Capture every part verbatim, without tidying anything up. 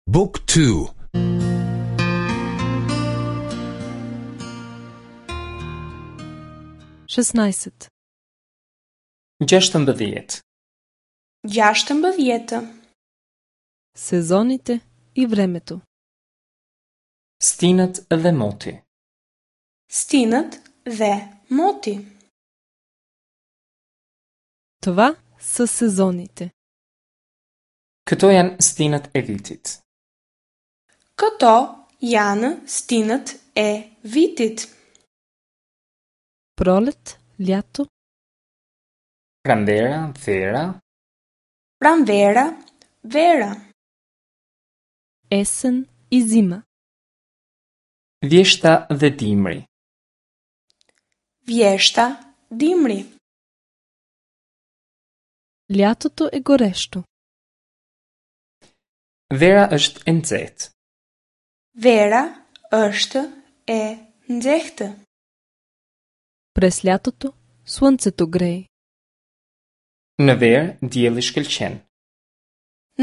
Book two. Шестнайсет. Gjashtëmbëdhjetë. Gjashtëmbëdhjetë. Сезоните и времето. Stinët dhe moti. Stinët dhe moti. Това са сезоните. Këto janë stinët e vitit. Këto janë stinët e vitit. Пролет, лято, Pranvera, vera, Pranvera, vera, есен и зима. Vjeshta dhe dimri. Vjeshta, dimri. Лятото е горещо. Vera është e nxehtë. Vera është e nxehtë. През лятото слънцето грее. Në verë dielli shkëlqen.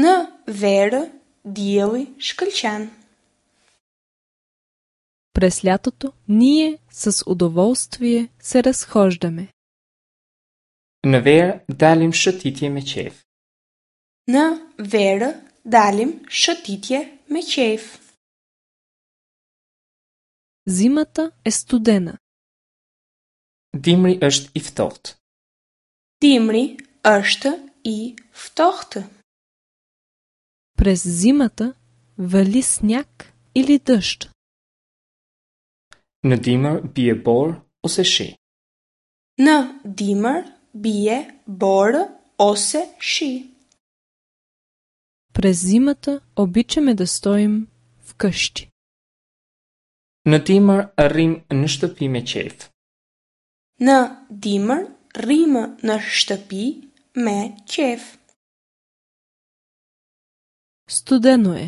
Në verë dielli shkëlqen. През лятото ние с удоволствие се разхождаме. Në verë dalim shëtitje me qejf. Në verë dalim shëtitje me qejf. Зимата е студена. Dimri është i ftohtë. Dimri është i ftohtë. През зимата вали сняг или дъжд. Në dimër bie borë ose shi. Në dimër bie borë ose shi. През зимата обичаме да стоим вкъщи. Në dimër rrim në shtëpi me qejf. Në dimër rrimë në shtëpi me qejf. Студено е.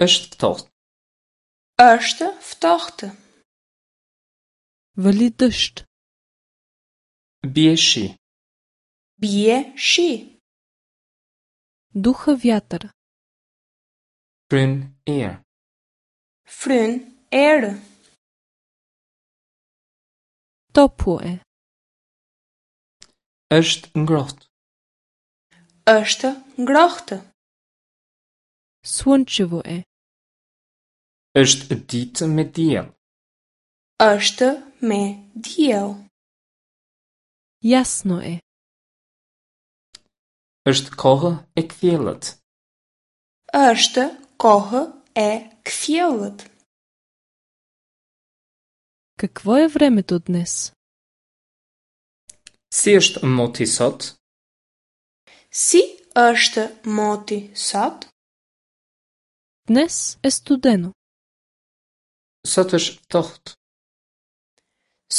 Është ftohtë. Është ftohtë. Вали дъжд. Bie shi. Bie shi. Духа вятър. Fryn erë. Fryn erë. Топло е. Është ngrohtë. Është ngrohtë. Слънчево е. Është ditë me diell. Është me diell. Ясно е. Është kohë e kthjellët. Është kohë e kthjellët. Какво е времето днес? Si është moti sot? Si është moti sot? Днес е студено. Sot është ftohtë.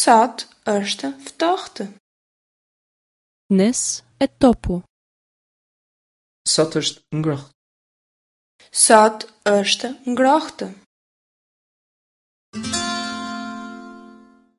Sot është ftohtë. Днес е топло. Sot është ngrohtë. Sot është ngrohtë.